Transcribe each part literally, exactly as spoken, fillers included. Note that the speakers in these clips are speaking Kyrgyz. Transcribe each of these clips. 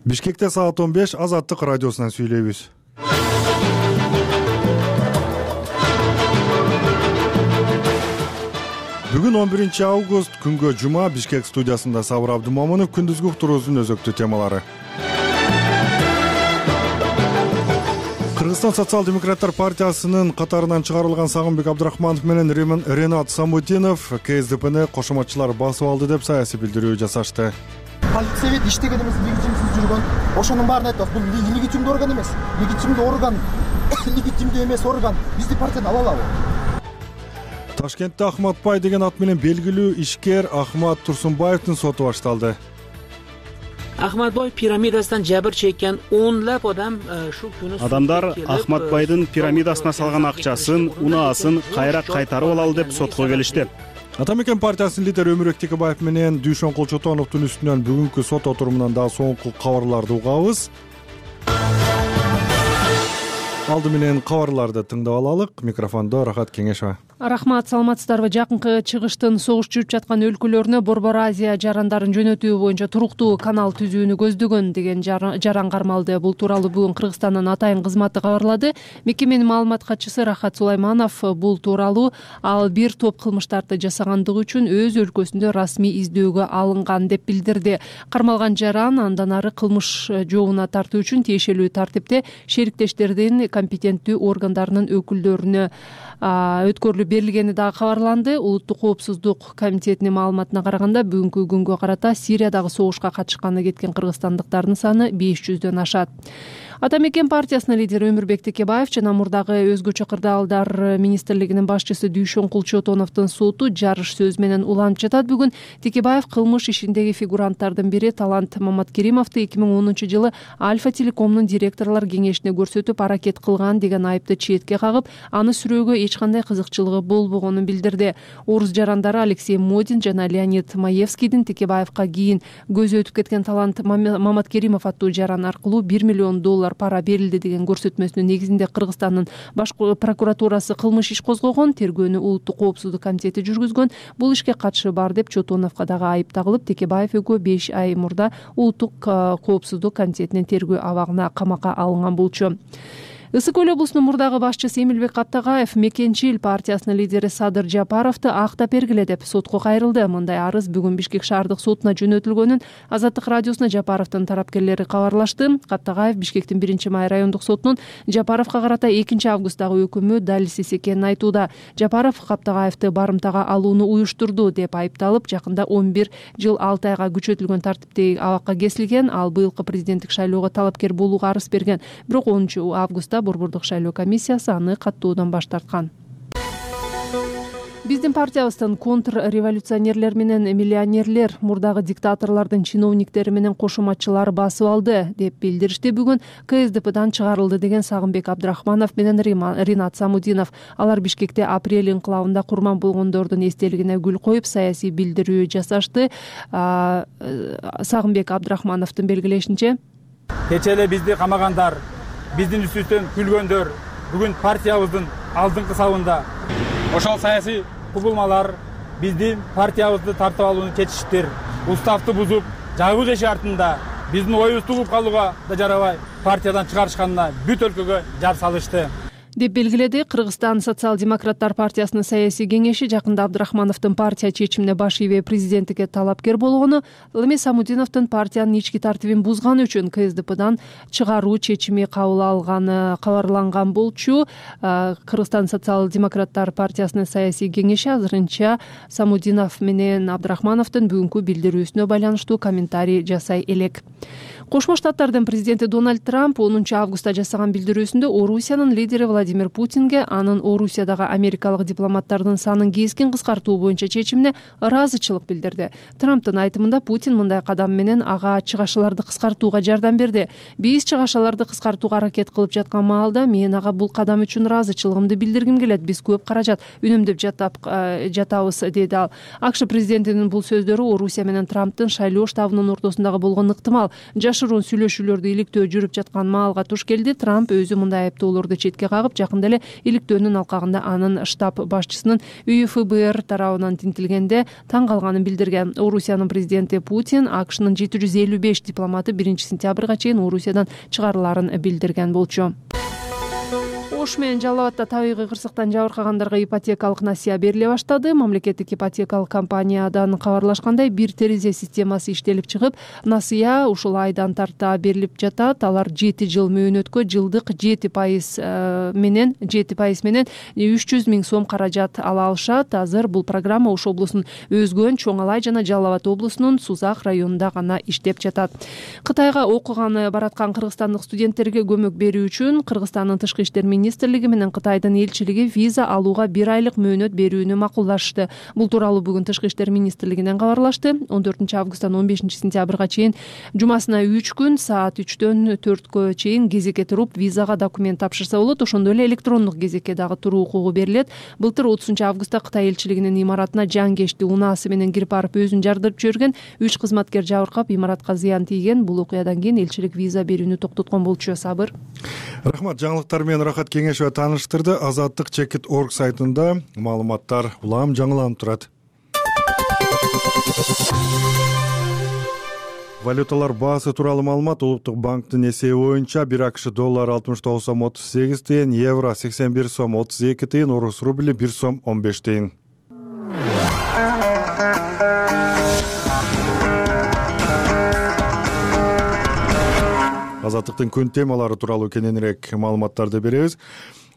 Бишкекте саат он беш Азаттык радиосунан сүйлөйбүз. Бүгүн он биринчи август күнгө жума. Бишкек студиясында Сабыр Абдымомунов. Күндүзгү уктуруубуздун өзөктүү темалары. Кыргызстан социал-демократтар партиясынын катарынан чыгарылган Сагынбек Абдрахманов менен Ренат Самудинов КСДПны кошоматчылар басып алды деп саясий билдирүү жасашты. Политсовет иштеген эмес, легитимсиз жүргөн. Ошонун баарын айтабыз. Бул легитимдүү орган эмес. Легитимдүү орган, легитимдүү эмес орган. Бизди партиядан ала алабы? Ташкентте Ахматбай деген ат менен белгилүү ишкер Ахмат Турсунбаевдин соту башталды. Ахматбай пирамидасынан жабыр чеккен онлап адам шу күнү адамдар Ахматбайдын пирамидасына салган акчасын, унаасын кайра кайтарып алалы деп сотко келишти. Ата мекен партиясынын лидери Өмүрбек Текебаев менен Дүйшөнкул Чотоновдун үстүнөн бүгүнкү сот отурумунан дагы соңку кабарларды угабыз. Алды менен кабарларды тыңдап алалык. Микрофондо Рахат Кеңешова. Рахмат, саламатсыздарбы? Жакынкы чыгыштын согуш жүрүп жаткан өлкөлөрүнө Борбор Азия жарандарын жөнөтүү боюнча туруктуу канал түзүүнү көздөгөн деген жаран кармалды. Бул тууралуу бүгүн Кыргызстандын атайын кызматы кабарлады. Мекеменин маалымат катчысы Рахат Сулайманов бул тууралуу ал бир топ кылмыштарды жасагандыгы үчүн өз өлкөсүндө расмий издөөгө алынган деп билдирди. Кармалган жаран андан ары кылмыш жообуна тартуу үчүн тиешелүү тартипте шериктештердин компетенттүү органдарынын өкүлдөрүнө өткөрүлүп берилгени дагы кабарланды. Улуттук коопсуздук комитетинин маалыматына караганда бүгүнкү күнгө карата Сириядагы согушка катышканы кеткен кыргызстандыктардын саны беш жүздөн ашат. Ата мекен партиясынын лидери Өмүрбек Текебаев жана мурдагы өзгөчө кырдаалдар министрлигинин башчысы Дүйшөнкул Чотоновдун соту жарыш сөз менен уланып жатат. Бүгүн Текебаев кылмыш ишиндеги фигуранттардын бири Талант Маматкеримовду эки миң онунчу жылы Альфа Телекомдун директорлор кеңешине көрсөтүп аракет кылган деген айыпты четке кагып, аны сүрөөгө эч кандай кызыкчылыгы болбогонун билдирди. Орус жарандары Алексей Модин жана Леонид Маевскийдин Текебаевка кийин көзү өтүп кеткен Талант Маматкеримов аттуу жаран аркылуу бир миллион доллар пара берилди деген көрсөтмөсүнүн негизинде Кыргызстандын баш прокуратурасы кылмыш иш козгогон, тергөөнү Улуттук коопсуздук комитети жүргүзгөн. Бул ишке катышы бар деп Чотоновго дагы айып тагылып, Текебаев экөө беш ай мурда Улуттук коопсуздук комитетинин тергөө абагына камакка алынган болчу. Ысык Көл облусунун мурдагы башчысы Эмилбек Каптагаев Мекенчил партиясынын лидери Садыр Жапаровду актап бергиле деп сотко кайрылды. Мындай арыз бүгүн Бишкек шаардык сотуна жөнөтүлгөнүн Азаттык радиосуна Жапаровдун тарапкерлери кабарлашты. Каптагаев Бишкектин биринчи май райондук сотунун Жапаровго карата экинчи августтагы өкүмү далилсиз экенин айтууда. Жапаров Каптагаевди барымтага алууну уюштурду деп айыпталып, жакында он бир жыл алты айга күчөтүлгөн тартиптеги абакка кесилген. Ал быйылкы президенттик шайлоого талапкер болууга арыз берген. Бирок онунчу августта Борбордук шайлоо комиссиясы аны каттоодан баш тарткан. Биздин партиябыздын контрреволюционерлер менен миллионерлер мурдагы диктаторлордун чиновниктери менен кошоматчылары басып алды деп билдиришти. Бүгүн КСДПдан чыгарылды деген Сагынбек Абдрахманов менен Ренат Самудинов. Алар Бишкекте апрель инкылабында курман болгондордун эстелигине гүл коюп саясий билдирүү жасашты. Сагынбек Абдрахмановдун белгилешинче, кечээ эле бизди камагандар, биздин үстүбүздөн күлгөндөр бүгүн партиябыздын алдыңкы сабында. Ошол саясий кубулмалар биздин партиябызды тартып алууну чечиштир. Уставды бузуп, жагуу жеши артында биздин оюбузду угуп калууга да жарабай партиядан чыгарышканына бүт өлкөгө жар салышты деп белгиледи. Кыргызстан социал-демократтар партиясынын саясий кеңеши жакында Абдрахмановдун партия чечимине баш ийбей президенттикке талапкер болгону, ал эми Самудиновдун партиянын ички тартибин бузганы үчүн КСДПдан чыгаруу чечими кабыл алганы кабарланган болчу. Кыргызстан социал-демократтар партиясынын саясий кеңеши азырынча Самудинов менен Абдрахмановдун бүгүнкү билдирүүсүнө байланыштуу комментарий жасай элек. Кошмо Штаттардын президенти Дональд Трамп онунчу августта жасаган билдирүүсүндө Орусиянын лидери Владимир Путинге анын Орусиядагы америкалык дипломаттардын санын кескин кыскартуу боюнча чечимине ыраазычылык билдирди. Трамптын айтымында Путин мындай кадам менен ага чыгашаларды кыскартууга жардам берди. Биз чыгашаларды кыскартууга аракет кылып жаткан маалда мен ага бул кадам үчүн ыраазычылыгымды билдиргим келет. Биз көп каражат үнөмдөп жатап жатабыз, деди ал. АКШ президентинин бул сөздөрү Орусия менен Трамптын шайлоо штабынын ортосундагы болгон ыктымал жаш жашыруун сүйлөшүүлөрдү иликтөө жүрүп жаткан маалга туш келди. Трамп өзү мындай айыптоолорду четке кагып, жакында эле иликтөөнүн алкагында анын штаб башчысынын үйү эф бэ эр тарабынан тинтилгенде таң калганын билдирген. Орусиянын президенти Путин АКШнын жети жүз элүү беш дипломаты биринчи сентябрга чейин Орусиядан чыгарылаарын билдирген болчу. Ош менен Жалал абадда табигый кырсыктан жабыркагандарга ипотекалык насыя бериле баштады. Мамлекеттик ипотекалык компаниядан кабарлашкандай, бир терезе системасы иштелип чыгып, насыя ушул айдан тарта берилип жатат. Алар жети жыл мөөнөткө жылдык жети пайыз менен жети пайыз менен үч жүз миң сом каражат ала алышат. Азыр бул программа Ош облусунун Өзгөн, Чоң Алай жана Жалал абад облусунун Сузак районунда гана иштеп жатат. Кытайга окуганы бараткан кыргызстандык студенттерге көмөк берүү үчүн Кыргызстандын тышкы иштер министрлиги менен Кытайдын элчилиги виза алууга бир айлык мөөнөт берүүнү макулдашты. Бул тууралуу бүгүн тышкы иштер министрлигинен кабарлашты. он төртүнчү августтан он бешинчи сентябрга чейин жумасына үч күн саат үчтөн төрткө чейин кезекке туруп визага документ тапшырса болот. Ошондой эле электрондук кезекке дагы туруу укугу берилет. Былтыр отузунчу августта Кытай элчилигинин имаратына жан-кешти унаасы менен кирип барып өзүн жардырып жиберген үч кызматкер жабыркап, имаратка зыян тийген. Бул окуядан кийин элчилик виза берүүнү токтоткон болчу. Сабыр. Рахмат. Жаңылыктар менен Рахат Кеңешова тааныштырды. Азаттык чекит точка орг сайтында маалыматтар улам жаңыланып турат. Валюталар баасы тууралуу маалымат. Улуттук банктын эсеби боюнча бир АКШ доллары алтымыш тогуз сом отуз сегиз тыйын, евро сексен бир сом отуз эки тыйын, орус рубли бир сом он беш тыйын. Азаттыктын күн темалары тууралуу кененирээк маалыматтарды беребиз.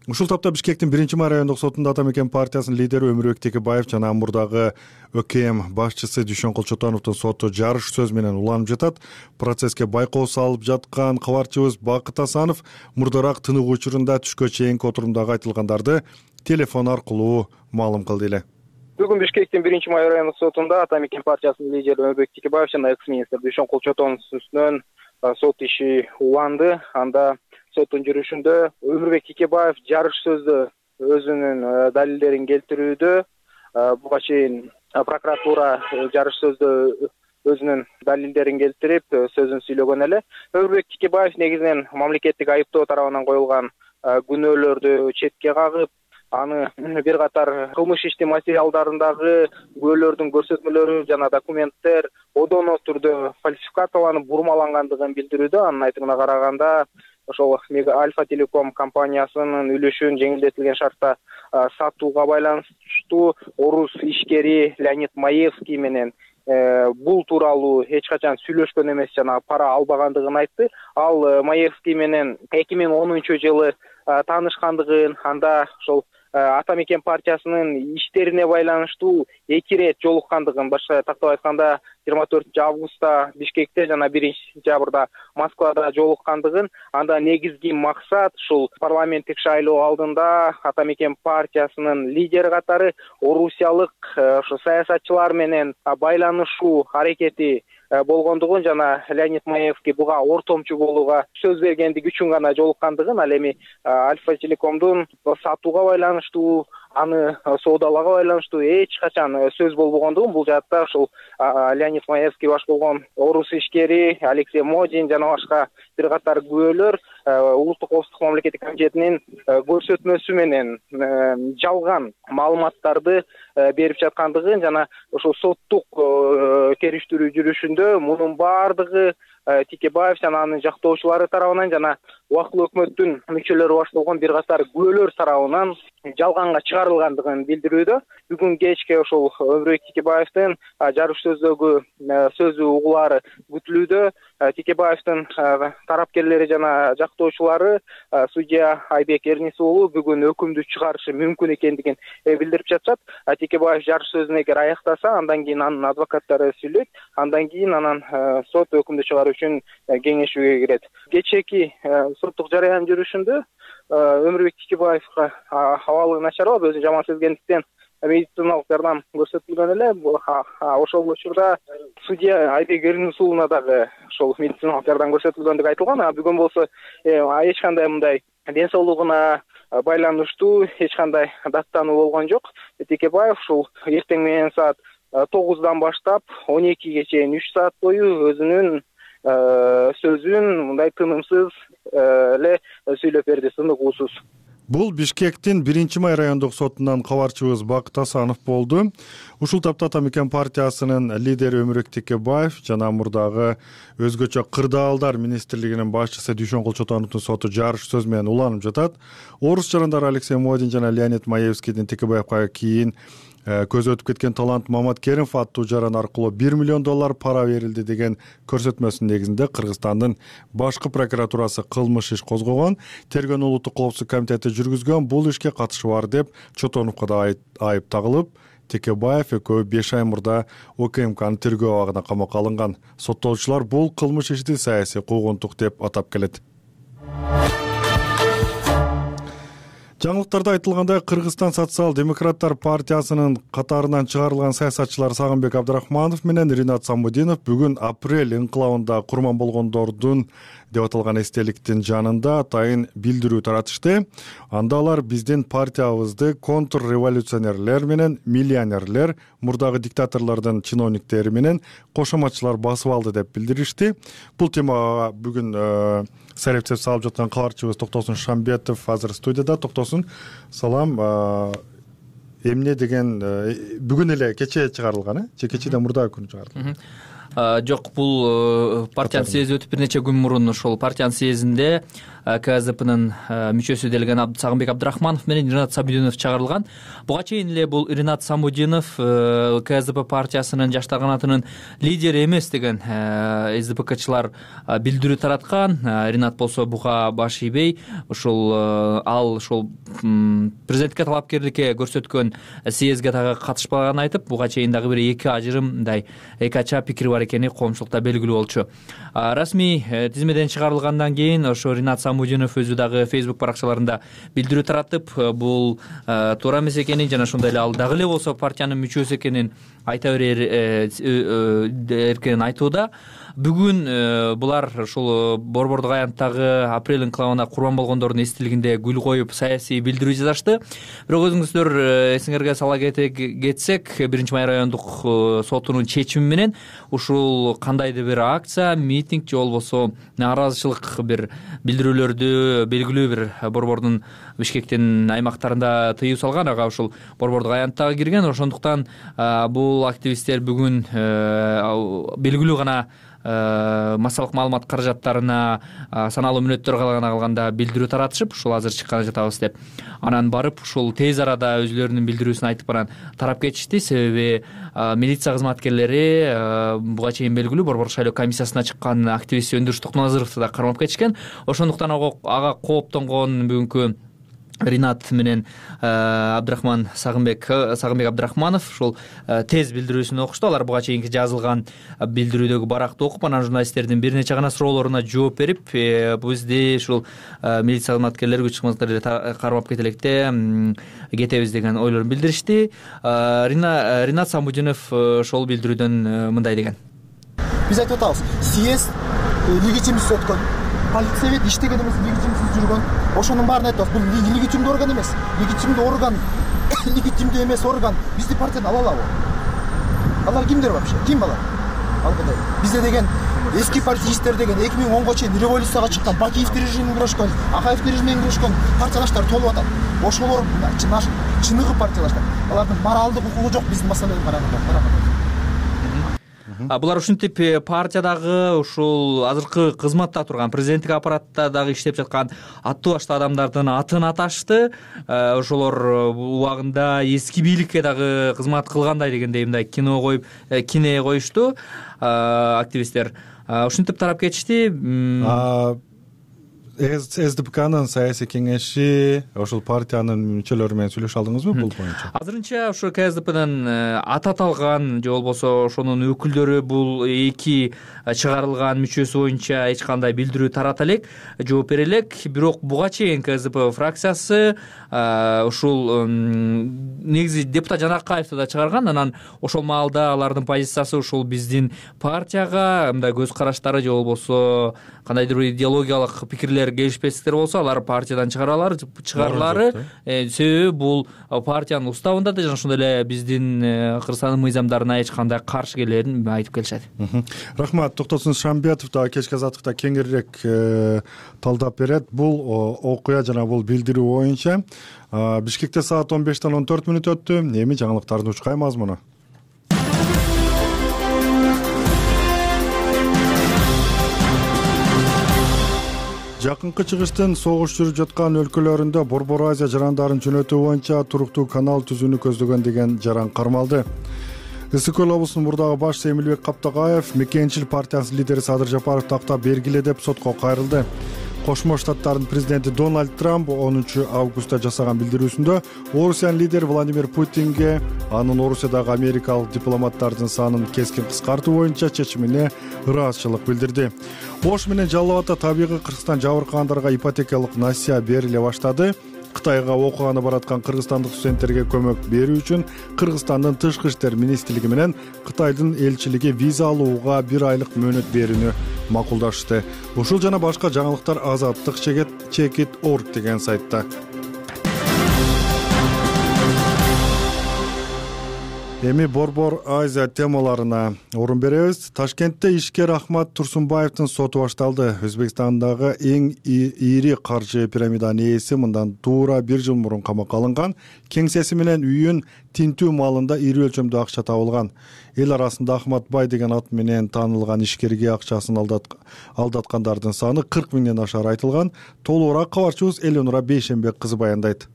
Ушул тапта Бишкектин биринчи май райондук сотунда Ата Мекен партиясынын лидери Өмүрбек Текебаев жана Амурдагы ÖКМ башчысы Дүйшөн Кулчотановдун соту жарыш сөз менен уланып жатат. Процесске байкоо салып жаткан кабарчыбыз Бакыт Асанов мурдараак тыныгуу учурунда түшкө чейинки отурумдагы айтылгандарды телефон аркылуу маалым кылды эле. Бүгүн Бишкектин биринчи май райондук сотунда Ата Мекен партиясынын лидери Өмүрбек Текебаев жана экс-министр Дүйшөн Кулчотовдун үстүнөн сот иши уланды. Анда соттун жүрүшүндө Өмүрбек Текебаев жарыш сөздө өзүнүн далилдерин келтирүүдө, буга чейин прокуратура жарыш сөздө өзүнүн далилдерин келтирип сөзүн сүйлөгөн эле. Өмүрбек Текебаев негизинен мамлекеттик айыптоо тарабынан коюлган күнөөлөрдү четке кагып, аны бир катар кылмыш ишти материалдарындагы күбөлөрдүн көрсөтмөлөрү жана документтер одоно түрдө фальсификацияланып бурмалангандыгын билдирүүдө. Анын айтымына караганда, ошол Альфа Телеком компаниясынын үлүшүн жеңилдетилген шартта сатууга байланыштуу орус ишкери Леонид Маевский менен бул тууралуу эч качан сүйлөшкөн эмес жана пара албагандыгын айтты. Ал Маевский менен эки миң онунчу жылы таанышкандыгын, анда ошол Ата Мекен партиясынын иштерине байланыштуу эки ирет жолуккандыгын, башка тактап айтканда жыйырма төртүнчү августта Бишкекте жана биринчи сентябрда Москвада жолуккандыгын, анда негизги максат ушул парламенттик шайлоо алдында Ата Мекен партиясынын лидери катары орусиялык ошо саясатчылар менен байланышуу аракети болгондугун жана Леонид Маевский буга ортомчу болууга сөз бергендиги үчүн гана жолуккандыгын, ал эми Альфа Телекомдун сатууга байланыштуу, аны соодалоого байланыштуу эч качан сөз болбогондугун, бул жаатта ушул Леонид Маевский баш болгон орус ишкери Алексей Модин жана башка бир катар күбөлөр улуттук коопсуздук мамлекеттик комитетинин көрсөтмөсү менен жалган маалыматтарды берип жаткандыгын жана ошол соттук териштирүү жүрүшүндө мунун баардыгы Текебаев жана анын жактоочулары тарабынан жана убактылуу өкмөттүн мүчөлөрү баш болгон бир катар күбөлөр тарабынан жалганга чыгарылгандыгын билдирүүдө. Бүгүн кечке ошол Өмүрбек Текебаевдин жарыш сөздөгү сөзү угулаары күтүлүүдө. Текебаевдин тарапкерлери жана жактоочулары судья Айбек Эрнис уулу бүгүн өкүмдү чыгарышы мүмкүн экендигин билдирип жатышат. Текебаев жарыш сөзүн эгер аяктаса, андан кийин анын адвокаттары сүйлөйт, андан кийин анан сот өкүмдү чыгаруу үчүн кеңешүүгө кирет. Кечээки соттук жараян жүрүшүндө Өмүрбек Текебаевга абалы начарлап, өзүн жаман сезгендиктен медициналык жардам көрсөтүлгөн эле. Ошол учурда судья Айбек Эрнис уулуна дагы ошол медициналык жардам көрсөтүлгөндүгү айтылган. Бүгүн болсо эч кандай мындай ден соолугуна байланыштуу эч кандай даттануу болгон жок. Текебаев ушул эртең менен саат тогуздан баштап он экиге чейин үч саат бою өзүнүн сөзүн мындай тынымсыз эле сүйлөп берди, сыныгуусуз. Бул Бишкектин биринчи май райондук сотунан кабарчыбыз Бакыт Асанов болду. Ушул тапта Ата Мекен партиясынын лидери Өмүрбек Текебаев жана мурдагы өзгөчө кырдаалдар министрлигинин башчысы Дүйшөн Колчотоновдун соту жарыш сөз менен уланып жатат. Орус жарандары Алексей Модин жана Леонид Маевскийдин Текебаевка кийин көзү өтүп кеткен талант Мамат Керимов аттуу жаран аркылуу бир миллион доллар пара берилди деген көрсөтмөсүнүн негизинде Кыргызстандын башкы прокуратурасы кылмыш иш козгогон. Тергөөнүн улуттук коопсуздук комитети жүргүзгөн. Бул ишке катышы бар деп Чотоновго да айып тагылып, Текебаев экөө беш ай мурда ОКМКнын тергөө абагына камакка алынган. Соттолуучулар бул кылмыш ишти саясий куугунтук деп атап келет. Жаңылыктарда айтылгандай, Кыргызстан социал-демократтар партиясынын катарынан чыгарылган саясатчылар Сагынбек Абдрахманов менен Ринат Самудинов бүгүн апрель инкылабында курман болгондордун деп аталган эстеликтин жанында атайын билдирүү таратышты. Анда алар биздин партиябызды контрреволюционерлер менен миллионерлер, мурдагы диктаторлордун чиновниктери менен кошоматчылар басып алды деп билдиришти. Бул темага бүгүн сарепсеп салып жаткан кабарчыбыз Токтосун Шамбетов азыр студияда. Токтосун, салам. Эмне деген бүгүн эле кечээ чыгарылган, э? Же кечээден мурдагы күнү чыгарылган? Жок, бул партиянын съези өтүп бир нече күн мурун ошол партиянын съездинде КСДПнын мүчөсү делген Сагынбек Абдрахманов менен Ринат Самудинов чыгарылган. Буга чейин эле бул Ринат Самудинов КСДП партиясынын жаштар канатынын лидери эмес деген СДПКчылар билдирүү тараткан. Ринат болсо буга баш ийбей, ошол ал ошол президентке талапкерликке көрсөткөн съезге дагы катышпаганын айтып, буга чейин дагы бир эки ажырым мындай эки ача пикири бар экени коомчулукта белгилүү болчу. Расмий тизмеден чыгарылгандан кийин ошо Ринат Самудинов өзү дагы Facebook баракчаларында билдирүү таратып, бул туура эмес экенин жана ошондой эле ал дагы эле болсо партиянын мүчөсү экенин айта берер эркинен айтууда. Бүгүн булар ушул Борбордук аянттагы апрель инкылабына курман болгондордун эстелигинде гүл коюп саясий билдирүү жасашты. Бирок өзүңүздөр эсиңерге сала кетсек, биринчи май райондук сотунун чечими менен ушул кандайдыр бир акция, митинг же болбосо нааразычылык бир билдирүүлөрдү белгилүү бир Борбордун Бишкектин аймактарында тыюу салган, ага ушул Борбордук аянттагы кирген. Ошондуктан бул активисттер бүгүн белгилүү гана массалык маалымат каражаттарына саналуу мүнөттөр калган калганда билдирүү таратышып, ушул азыр чыкканы жатабыз деп анан барып ушул тез арада өзүлөрүнүн билдирүүсүн айтып анан тарап кетишти. Себеби милиция кызматкерлери буга чейин белгилүү Борбордук шайлоо комиссиясына чыккан активист Өндүрүш Токназыровду да кармап кетишкен. Ошондуктан ага кооптонгон бүгүнкү Ринат менен Абдрахман Сагынбек Сагынбек Абдрахманов ушул тез билдирүүсүн окушту. Алар буга чейинки жазылган билдирүүдөгү баракты окуп, анан журналисттердин бир нече гана суроолоруна жооп берип, бизди ушул милиция кызматкерлери, күч кызматкерлери кармап кетелекте кетебиз деген ойлорун билдиришти. Ринат Самудинов ошол билдирүүдөн мындай деген: Биз айтып атабыз, съезд легитимдүү өткөн, полиция совет иштеген эмес, легитимсиз жүргөн. Ошонун баарын айтабыз. Бул легитимдүү орган эмес. Легитимдүү орган, легитимдүү эмес орган бизди партиядан ала алабы? Алар кимдер вообще? Ким алар? Алгыдай. Бизде деген эски партиисттер деген эки миң онго чейин революцияга чыккан, Бакиевдин режимине күрөшкөн, Акаевдин режимине күрөшкөн партиялаштар толуп атат. Ошолор чыныгы партиялаштар. Алардын моралдык укугу жок биздин маселеге караганда. Булар ушинтип партиядагы ушул азыркы кызматта турган, президенттик аппаратта дагы иштеп жаткан аттуу баштуу адамдардын атын аташты. Ошолор убагында эски бийликке дагы кызмат кылгандай дегендей мындай кино коюп, кине коюшту активисттер. Ушинтип тарап кетишти. СДПКнын саясий кеңеши ошол партиянын мүчөлөрү менен сүйлөшө алдыңызбы бул боюнча? Азырынча ушу КСДПнын аты аталган же болбосо ошонун өкүлдөрү бул эки чыгарылган мүчөсү боюнча эч кандай билдирүү тарата элек, жооп бере элек. Бирок буга чейин КСДП фракциясы ушул негизи депутат Жанакаевди да чыгарган. Анан ошол маалда алардын позициясы ушул биздин партияга мындай көз караштары же болбосо кандайдыр бир идеологиялык пикирлер лидерлер келишпестиктер болсо алар партиядан чыгаралар чыгарылары себеби бул партиянын уставында да жана ошондой эле биздин Кыргызстандын мыйзамдарына эч кандай каршы келерин айтып келишет. Рахмат. Токтосун Шамбетов да кечки азаттыкта кеңирээк талдап берет. Бул окуя жана бул билдирүү боюнча Бишкекте саат он бештен он төрт мүнөт өттү. Эми жаңылыктардын учкай мазмуну. Жакынкы чыгыштын согуш жүрүп жаткан өлкөлөрүндө Борбор Азия жарандарын жөнөтүү боюнча туруктуу канал түзүүнү көздөгөн деген жаран кармалды. Ысык Көл облусунун мурдагы башчысы Эмилбек Каптагаев Мекенчил партиясынын лидери Садыр Жапаров тактап бергиле деп сотко кайрылды. Кошмо Штаттардын президенти Дональд Трамп онунчу августта жасаган билдирүүсүндө Орусиянын лидери Владимир Путинге анын Орусиядагы америкалык дипломаттардын санын кескин кыскартуу боюнча чечимине ыраазычылык билдирди. Ош менен Жалал Абадда табигый Кыргызстан жабыркагандарга ипотекалык насыя бериле баштады. Кытайга окуганы бараткан кыргызстандык студенттерге көмөк берүү үчүн Кыргызстандын Тышкы иштер министрлиги менен Кытайдын элчилиги виза алууга бир айлык мөөнөт берүүнү макулдашты. Ушул жана башка жаңылыктар Азаттык чекит орг деген сайтта. Эми Борбор Азия темаларына орун беребиз. Ташкентте ишкер Ахмат Турсунбаевдин соту башталды. Өзбекстандагы эң ири каржы пирамиданын ээси мындан туура бир жыл мурун камакка алынган. Кеңсеси менен үйүн тинтүү малында ири өлчөмдө акча табылган. Эл арасында Ахмат Бай деген ат менен таанылган ишкерге акчасын алдаткандардын саны кырк миңден ашары айтылган. Толугураак кабарчыбыз Эленура Бейшенбек кызы баяндайт.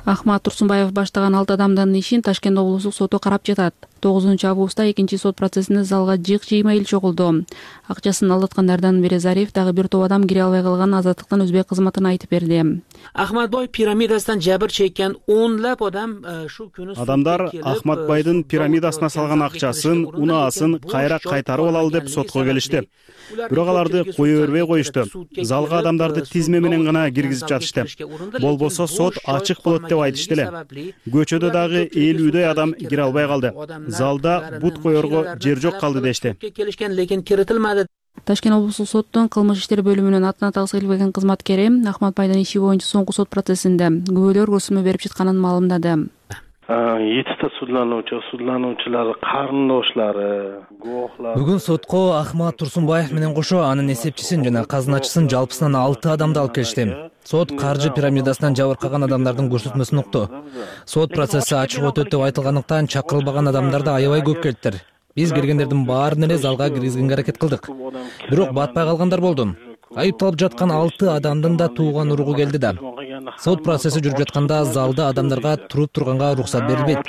Ахмат Турсунбаев баштаган алты адамдын ишин Ташкент облустук соту карап жатат. тогузунчу августта экинчи сот процессинде залга жыйк жыймай эл чогулду. Акчасын алдаткандардан бири Зариф, дагы бир топ адам кире албай калган. Азаттыктын өзбек кызматына айтып берди. Ахматбай пирамидасынан жабыр чеккен онлап адам шу күнү адамдар Ахматбайдын пирамидасына салган акчасын, унаасын кайра кайтарып алалы деп сотко келишти. Бирок аларды кое бербей коюшту. Залга адамдарды тизме менен гана киргизип жатышты. Болбосо сот ачык болот деп айтышты эле. Көчөдө дагы элүүдөй адам кире албай калды. Залда бут коерго жер жок калды дешти. Ташкент облустук соттун кылмыш иштер бөлүмүнүн атына тагыс келбеген кызматкери Ахматбайдын иши боюнча соңку сот процессинде күбөлөр көрсөтмө берип жатканын маалымдады. Жетиште судлануучу, судлануучулар, карындошлары, гооглар. Бүгүн сотко Ахмат Турсунбаев менен кошо анын эсепчисин жана казыначысын жалпысынан алты адамды алып келишти. Сот каржы пирамидасынан жабыркаган адамдардын көрсөтмөсүн укту. Сот процесси ачык өтөт деп айтылгандыктан чакырылбаган адамдарды аябай көп келиптир. Биз киргендердин баарын эле залга киргизгенге аракет кылдык. Бирок батпай калгандар болду. Айыпталып жаткан алты адамдын да тууган уругу келди да. Сот процесси жүрүп жатканда залда адамдарга туруп турганга уруксат берилбейт.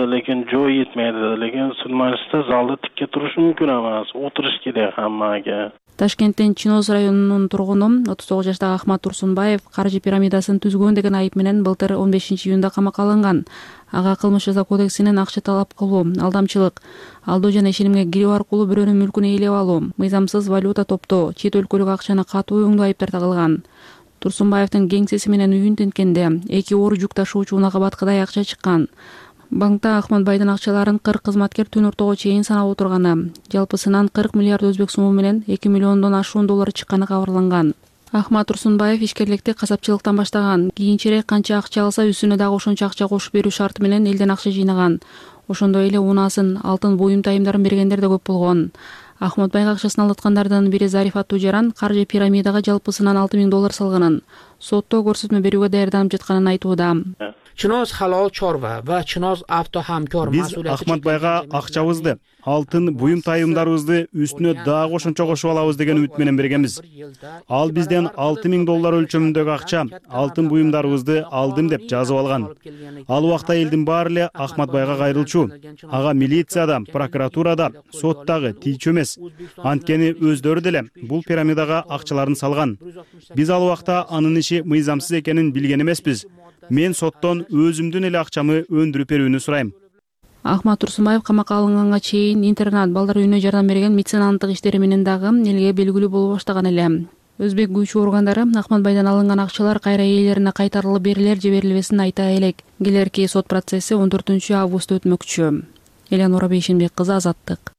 Lekin joy yetmeydi. Lekin sudmajlisda залда тикке туруш мүмкүн эмес. Отуруш керек хаммага. Ташкенттин Чиноз районунун тургуну отуз тогуз жаштагы Ахмат Турсунбаев каржы пирамидасын түзгөн деген айып менен былтыр он бешинчи июнда камакка алынган. Ага кылмыш жаза кодексинен акча талап кылуу, алдамчылык, алдоо жана ишенимге кирип аркылуу бирөөнүн мүлкүн ээлеп алуу, мыйзамсыз валюта топтоо, чет өлкөлүк акчаны катуу өңдөө айыптар тагылган. Турсунбаевдин кеңсеси менен үйүн тинткенде эки оор жүк ташуучу унага баткыдай акча чыккан. Банкта Ахматбайдын акчаларын кырк кызматкер түн ортого чейин санап отурганы, жалпысынан кырк миллиард өзбек суму менен эки миллиондон ашуун доллар чыкканы кабарланган. Ахмат Турсунбаев ишкерликти касапчылыктан баштаган. Кийинчерээк канча акча алса, үстүнө дагы ошончо акча кошуп берүү шарты менен элден акча жыйнаган. Ошондой эле унаасын, алтын буюм тайымдарын бергендер да көп болгон. Ахматбайга акчасын алдаткандардын бири Зариф аттуу жаран каржы пирамидага жалпысынан алты миң доллар салганын, сотто көрсөтмө берүүгө даярданып жатканын айтууда. Чиноз халал чорва ва Чиноз авто хамкор биз Ахматбайга акчабызды, алтын буюм тайымдарыбызды үстүнө дагы ошончо кошуп алабыз деген үмүт менен бергенбиз. Ал бизден алты миң доллар өлчөмүндөгү акча, алтын буюмдарыбызды алдым деп жазып алган. Ал убакта элдин баары эле Ахматбайга кайрылчу. Ага милицияда, прокуратурада, соттагы тийчү эмес. Анткени өздөрү деле бул пирамидага акчаларын салган. Биз ал убакта анын иши мыйзамсыз экенин билген эмеспиз. Мен соттон өзүмдүн эле акчамы өндүрүп берүүнү сурайм. Ахмат Турсунбаев камакка алынганга чейин интернат, балдар үйүнө жардам берген меценаттык иштери менен дагы элге белгилүү боло баштаган эле. Өзбек күчү органдары Ахматбайдан алынган акчалар кайра ээлерине кайтарылып берилер же берилбесин айта элек. Келерки сот процесси он төртүнчү августта өтмөкчү. Эленура Бейшенбек кызы, Азаттык.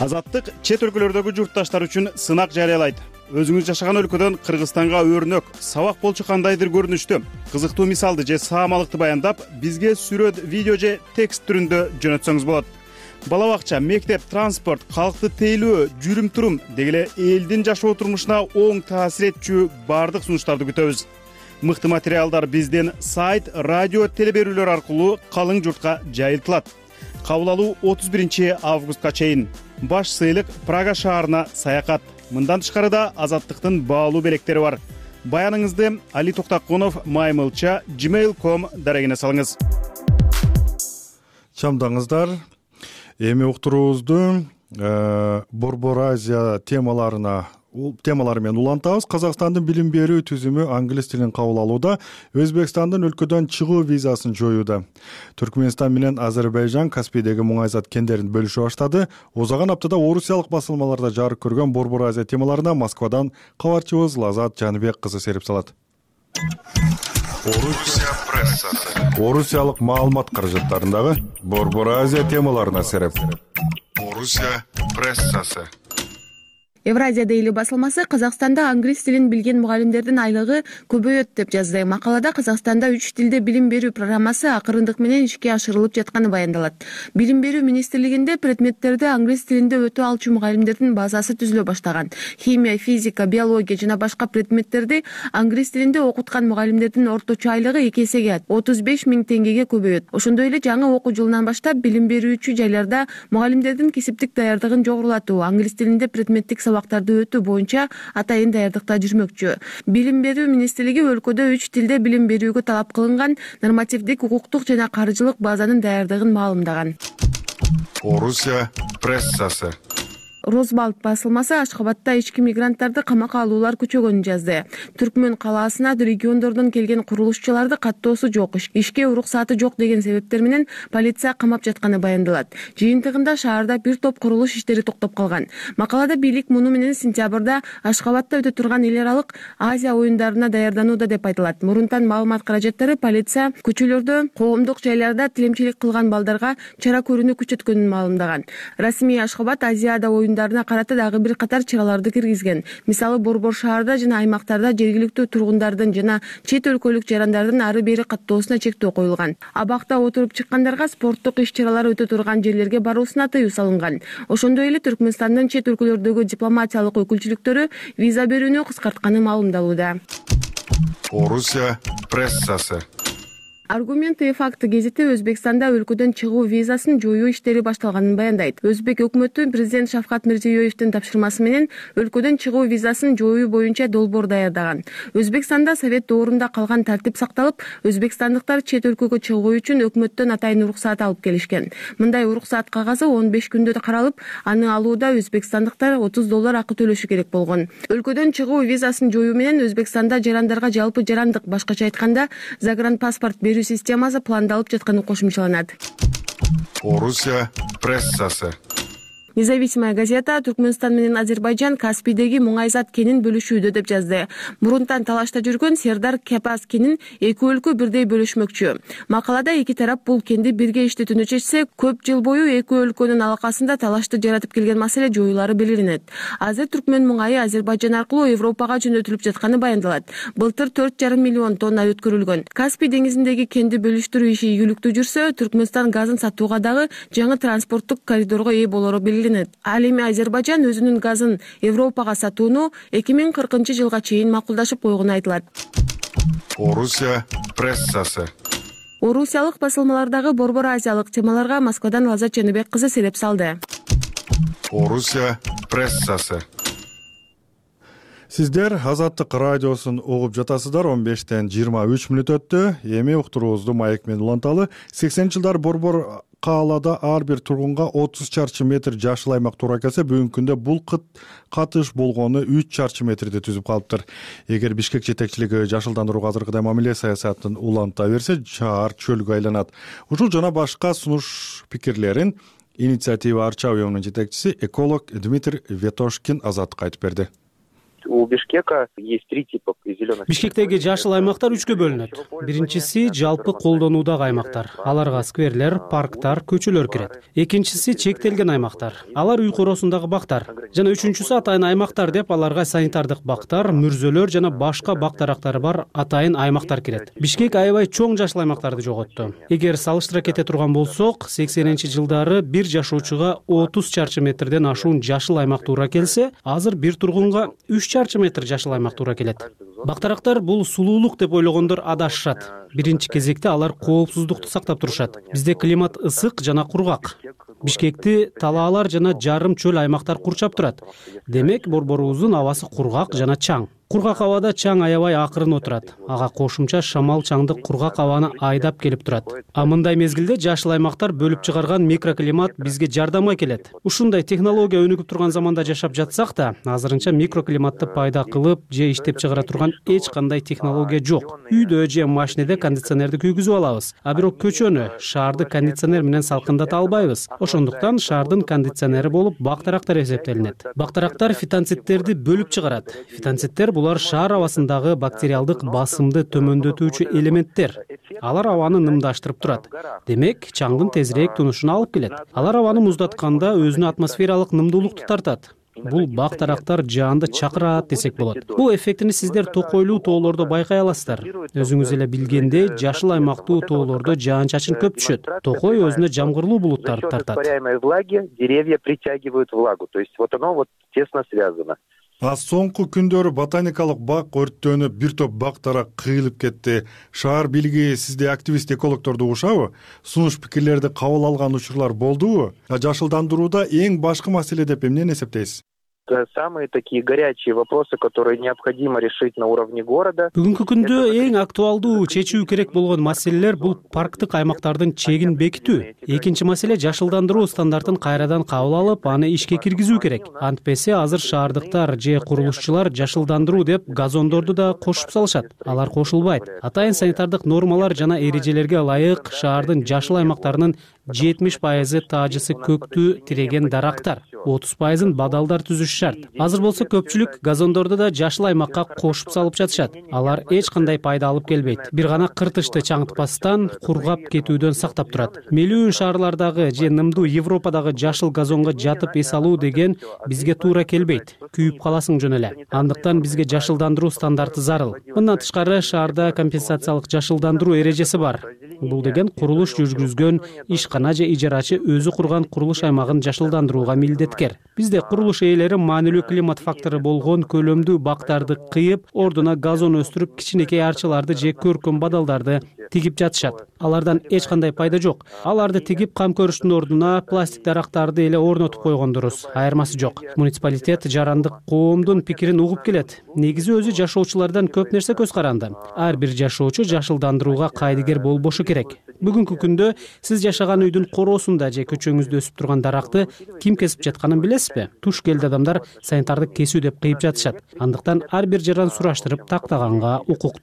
Азаттык чет өлкөлөрдөгү журтташтар үчүн сынак жарыялайт. Өзүңүз жашаган өлкөдөн Кыргызстанга өрнөк, сабак болчу кандайдыр көрүнүштү, кызыктуу мисалды же саамалыкты баяндап, бизге сүрөт, видео же текст түрүндө жөнөтсөңүз болот. Бала бакча, мектеп, транспорт, калкты тейлөө, жүрүм-турум деги эле элдин жашоо турмушуна оң таасир этчү баардык сунуштарды күтөбүз. Мыкты материалдар бизден сайт, радио, телеберүүлөр аркылуу калың журтка жайылтылат. Кабыл алуу отуз биринчи августка чейин. Баш сыйлык Прага шаарына саякат. Мындан тышкары да Азаттыктын баалуу белектери бар. Баяныңызды Али Токтакунов маймылча gmail точка ком дарегине салыңыз. Чамдаңыздар. Эми уктуруубузду Борбор Азия темаларына темалары менен улантабыз. Казакстандын билим берүү түзүмү англис тилин кабыл алууда, Өзбекстандын өлкөдөн чыгуу визасын жоюуда. Түркмөнстан менен Азербайжан Каспийдеги муңайзат кендерин бөлүшө баштады. Озаган аптада орусиялык басылмаларда жарык көргөн Борбор Азия темаларына Москвадан кабарчыбыз Лазат Жаныбек кызы серип салат. Орусия прессасы. Орусиялык маалымат каражаттарындагы Борбор Азия темаларына сереп. Орусия прессасы. Евразия дейли басылмасы Казакстанда англис тилин билген мугалимдердин айлыгы көбөйөт деп жазды. Макалада Казакстанда үч тилде билим берүү программасы акырындык менен ишке ашырылып жатканы баяндалат. Билим берүү министрлигинде предметтерди англис тилинде өтө алчу мугалимдердин базасы түзүлө баштаган. Химия, физика, биология жана башка предметтерди англис тилинде окуткан мугалимдердин орточо айлыгы эки эсеге отуз беш миң теңгеге көбөйөт. Ошондой эле жаңы окуу жылынан баштап билим берүүчү жайларда мугалимдердин кесиптик даярдыгын жогорулатуу, англис тилинде предметтик сабактарды өтүү боюнча атайын даярдыкта жүрмөкчү. Билим берүү министрлиги өлкөдө үч тилде билим берүүгө талап кылынган нормативдик, укуктук жана каржылык базанын даярдыгын маалымдаган. Орусия прессасы. Розбалт басылмасы Ашхабадда ички мигранттарды камакка алуулар күчөгөнүн жазды. Түркмөн калаасына региондордон келген курулушчуларды каттоосу жок, ишке уруксаты жок деген себептер менен полиция камап жатканы баяндалат. Жыйынтыгында шаарда бир топ курулуш иштери токтоп калган. Макалада бийлик муну менен сентябрда Ашхабадда өтө турган эл аралык Азия оюндарына даярданууда деп айтылат. Мурунтан маалымат каражаттары полиция көчөлөрдө, коомдук жайларда тилемчилик кылган балдарга чара көрүүнү күчөткөнүн маалымдаган. Расмий Ашхабад Азияда оюн карата дагы бир катар чараларды киргизген. Мисалы борбор шаарда жана аймактарда жергиликтүү тургундардын жана чет өлкөлүк жарандардын ары бери каттоосуна чектөө коюлган. Абакта отуруп чыккандарга спорттук иш-чаралар өтө турган жерлерге баруусуна тыюу салынган. Ошондой эле Түркмөнстандын чет өлкөлөрдөгү дипломатиялык өкүлчүлүктөрү виза берүүнү кыскартканы маалымдалууда. Орусия прессасы. Аргументы и факты гезити Өзбекстанда өлкөдөн чыгуу визасын жоюу иштери башталганын баяндайт. Өзбек өкмөтү президент Шавкат Мирзиёевдин тапшырмасы менен өлкөдөн чыгуу визасын жоюу боюнча долбоор даярдаган. Өзбекстанда совет доорунда калган тартип сакталып, өзбекстандыктар чет өлкөгө чыгуу үчүн өкмөттөн атайын уруксаат алып келишкен. Мындай уруксаат кагазы он беш күндө каралып, аны алууда өзбекстандыктар отуз доллар акы төлөшү керек болгон. Өлкөдөн чыгуу визасын жоюу менен Өзбекстанда жарандарга жалпы жарандык, башкача айтканда, загранпаспорт берүү системасы пландалып жатканы кошумчаланат. Орусия прессасы. Независимая газета Түркмөнстан менен Азербайжан Каспийдеги муңайзат кенин бөлүшүүдө деп жазды. Мурунтан талашта жүргөн Сердар Кепас кенин эки өлкө бирдей бөлүшмөкчү. Макалада эки тарап бул кенди бирге иштетүүнү чечсе, көп жыл бою эки өлкөнүн алакасында талашты жаратып келген маселе жоюлары белгиленет. Азыр Түркмөн муңайы Азербайжан аркылуу Европага жөнөтүлүп жатканы баяндалат. Былтыр төрт жарым миллион тонна өткөрүлгөн. Каспий деңизиндеги кенди бөлүштүрүү иши ийгиликтүү жүрсө, Түркмөнстан газын сатууга дагы жаңы транспорттук коридорго ээ болору белгиленет. Ал эми Азербайжан өзүнүн газын Европага сатууну эки миң кыркынчы жылга чейин макулдашып койгону айтылат. Орусия прессасы. Орусиялык басылмалардагы борбор азиялык темаларга Москвадан Лазат Жаныбек кызы сереп салды. Орусия прессасы. Сиздер Азаттык радиосун угуп жатасыздар. он бештен жыйырма үч мүнөт өттү. Эми уктуруубузду маек менен уланталы. сексенинчи жылдар борбор каалада ар бир тургунга отуз чарчы метр жашыл аймак туура келсе, бүгүнкү күндө бул катыш болгону үч чарчы метрди түзүп калыптыр. Эгер Бишкек жетекчилиги жашылдандырууга азыркыдай мамиле саясатын уланта берсе, шаар чөлгө айланат. Ушул жана башка сунуш пикирлерин Инициатива Арча уюмунун жетекчиси эколог Дмитрий Ветошкин Азаттыкка айтып берди. у Бишкека есть три типа зеленых. Бишкектеги жашыл аймактар үчкө бөлүнөт. Биринчиси жалпы колдонуудагы аймактар. Аларга скверлер, парктар, көчөлөр кирет. Экинчиси чектелген аймактар. Алар үй коросундагы бактар. Жана үчүнчүсү атайын аймактар деп аларга санитардык бактар, мүрзөлөр жана башка бак дарактары бар атайын аймактар кирет. Бишкек аябай чоң жашыл аймактарды жоготту. Эгер салыштыра кете турган болсок, сексенинчи жылдары бир жашоочуга отуз чарчы метрден ашуун жашыл аймак туура келсе, азыр бир тургунга үч чарчы метр жашыл аймак туура келет. Бактарактар бул сулуулук деп ойлогондор адашышат. Биринчи кезекте алар коопсуздукту сактап турушат. Бизде климат ысык жана кургак. Бишкекти талаалар жана жарым чөл аймактар курчап турат. Демек, борборубуздун абасы кургак жана чаң. Кургак абада чаң аябай акырын отурат. Ага кошумча шамал чаңды кургак абаны айдап келип турат. А мындай мезгилде жашыл аймактар бөлүп чыгарган микроклимат бизге жардамга келет. Ушундай технология өнүгүп турган заманда жашап жатсак да, азырынча микроклиматты пайда кылып же иштеп чыгара турган эч кандай технология жок. Үйдө же машинеде кондиционерди күйгүзүп алабыз, а бирок көчөнү, шаарды кондиционер менен салкындата албайбыз. Ошондуктан шаардын кондиционери болуп бактарактар эсептелинет. Бактарактар фитонциттерди бөлүп чыгарат. Фитонциттер булар шаар абасындагы бактериалдык басымды төмөндөтүүчү элементтер. Алар абаны нымдаштырып турат. Демек, чаңдын тезирээк тунушуна алып келет. Алар абаны муздатканда өзүнө атмосфералык нымдуулукту тартат. Бул бактарактар жаанды чакырат десек болот. Бул эффектини сиздер токойлуу тоолордо байкай аласыздар. Өзүңүз эле билгендей, жашыл аймактуу тоолордо жаан-чачын көп түшөт. Токой өзүнө жамгырлуу булуттарды тартат. Деревья притягивают влагу, то есть вот оно вот тесно связано. А соңку күндөрү ботаникалык бак өрттөнүп, бир топ бактарак кыйылып кетти. Шаар бийлиги сизде активист экологторду угушабы? Сунуш пикирлерди кабыл алган учурлар болдубу? Жашылдандырууда эң башкы маселе деп эмнени эсептейсиз? Самые такие горячие вопросы, которые необходимо решить на уровне города. Бүгүнкү күндө эң актуалдуу чечүү керек болгон маселелер бул парктык аймактардын чегин бекитүү. Экинчи маселе жашылдандыруу стандартын кайрадан кабыл алып, аны ишке киргизүү керек. Антпесе азыр шаардыктар же курулушчулар жашылдандыруу деп газондорду да кошуп салышат. Алар кошулбайт. Атайын санитардык нормалар жана эрежелерге ылайык шаардын жашыл аймактарынын жетимиш пайызы таажысы көктүү тиреген дарактар, отуз пайызын бадалдар түзүш шарт. Азыр болсо көпчүлүк газондорду да жашыл аймакка кошуп салып жатышат. Алар эч кандай пайда алып келбейт. Бир гана кыртышты чаңытпастан, кургап кетүүдөн сактап турат. Мелүүн шаарлардагы же нымдуу Европадагы жашыл газонго жатып эс алуу деген бизге туура келбейт. Күйүп каласың жөн эле. Андыктан бизге жашылдандыруу стандарты зарыл. Мындан тышкары шаарда компенсациялык жашылдандыруу эрежеси бар. Бул деген курулуш жүргүзгөн ишкана же ижарачы өзү курган курулуш аймагын жашылдандырууга милдеткер. Бизде курулуш ээлери маанилүү климат фактору болгон көлөмдүү бактарды кыйып, ордуна газон өстүрүп, кичинекей арчаларды же көркөм бадалдарды тигип жатышат. Алардан эч кандай пайда жок. Аларды тигип кам көрүштүн ордуна пластик дарактарды эле орнотуп койгон дурус. Айырмасы жок. Муниципалитет жарандык коомдун пикирин угуп келет. Негизи өзү жашоочулардан көп нерсе көз каранды. Ар бир жашоочу жашылдандырууга кайдыгер болбошу керек. Бүгүнкү күндө сиз жашаган үйдүн короосунда же көчөңүздө өсүп турган даракты ким кесип жатканын билесизби? Туш келди адамдар санитардык кесүү деп кыйып жатышат. Андыктан ар бир жаран сураштырып тактаганга укук.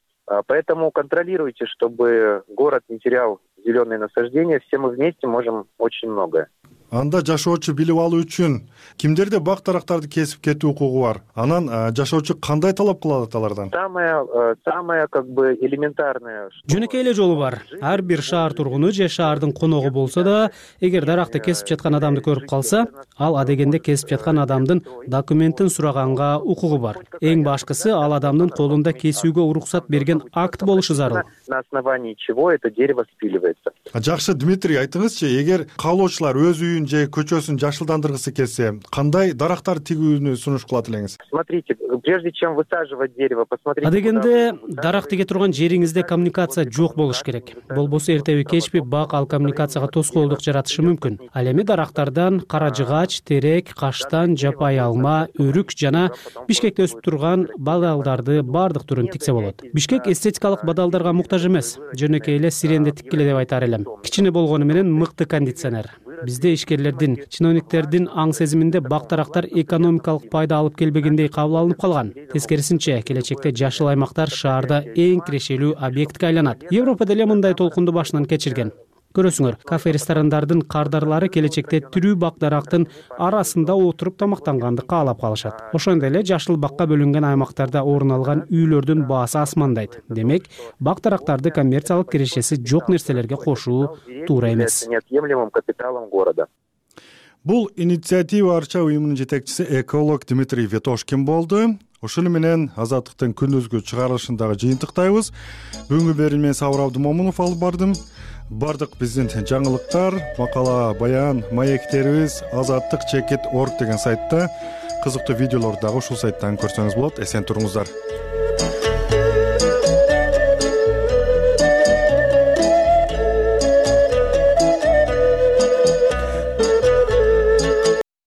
Поэтому контролируйте, чтобы город не терял зеленые насаждения. Все мы вместе можем очень многое. Анда жашоочу билип алуу үчүн кимдерде бак дарактарды кесип кетүү укугу бар? Анан жашоочу кандай талап кылат алардан? Самое, самое как бы элементарное. Жөнөкөй эле жолу бар. Ар бир шаар тургуну же шаардын коногу болсо да, эгер даракты кесип жаткан адамды көрүп калса, ал адегенде кесип жаткан адамдын документин сураганга укугу бар. Эң башкысы ал адамдын колунда кесүүгө уруксат берген акт болушу зарыл. На основании чего это дерево спиливается. Жакшы, Дмитрий, айтыңызчы, эгер каалоочулар өз үйүн же көчөсүн жашылдандыргысы келсе, кандай дарактар тигүүнү сунуш кылат элеңиз? Смотрите, прежде чем высаживать дерево, посмотрите. Адегенде дарак тиге турган жериңизде коммуникация жок болуш керек. Болбосо эртеби кечпи бак ал коммуникацияга тоскоолдук жаратышы мүмкүн. Ал эми дарактардан кара жыгач, терек, каштан, жапай алма, өрүк жана Бишкекте өсүп турган бадалдарды бардык түрүн тиксе болот. Бишкек эстетикалык бадалдарга муктаж эмес. Жөнөкөй эле сиренде тиккиле деп айтар элем. Кичине болгону менен мыкты кондиционер. Бизде ишкерлердин, чиновниктердин аң сезиминде бак дарактар экономикалык пайда алып келбегендей кабыл алынып калган. Тескерисинче, келечекте жашыл аймактар шаарда эң кирешелүү объектке айланат. Европа деле мындай толкунду башынан кечирген. көрөсүңөр, кафе ресторандардын кардарлары келечекте тирүү бак дарактын арасында отуруп тамактанганды каалап калышат. Ошондой эле жашыл бакка бөлүнгөн аймактарда орун алган үйлөрдүн баасы асмандайт. Демек, бак дарактарды коммерциялык кирешеси жок нерселерге кошуу туура эмес. Бул инициатива арча уюмунун жетекчиси эколог Дмитрий Ветошкин болду. Ушуну менен Азаттыктын күндүзгү чыгарылышындагы жыйынтыктайбыз. Бүгүнкү берилмени Сабыр Абдымомунов алып бардым. Бардык биздин жаңылыктар, макала, баян, маектерибиз азаттык чекит орг деген сайтта, кызыктуу видеолорду дагы ушул сайттан көрсөңүз болот. Эсен туруңуздар.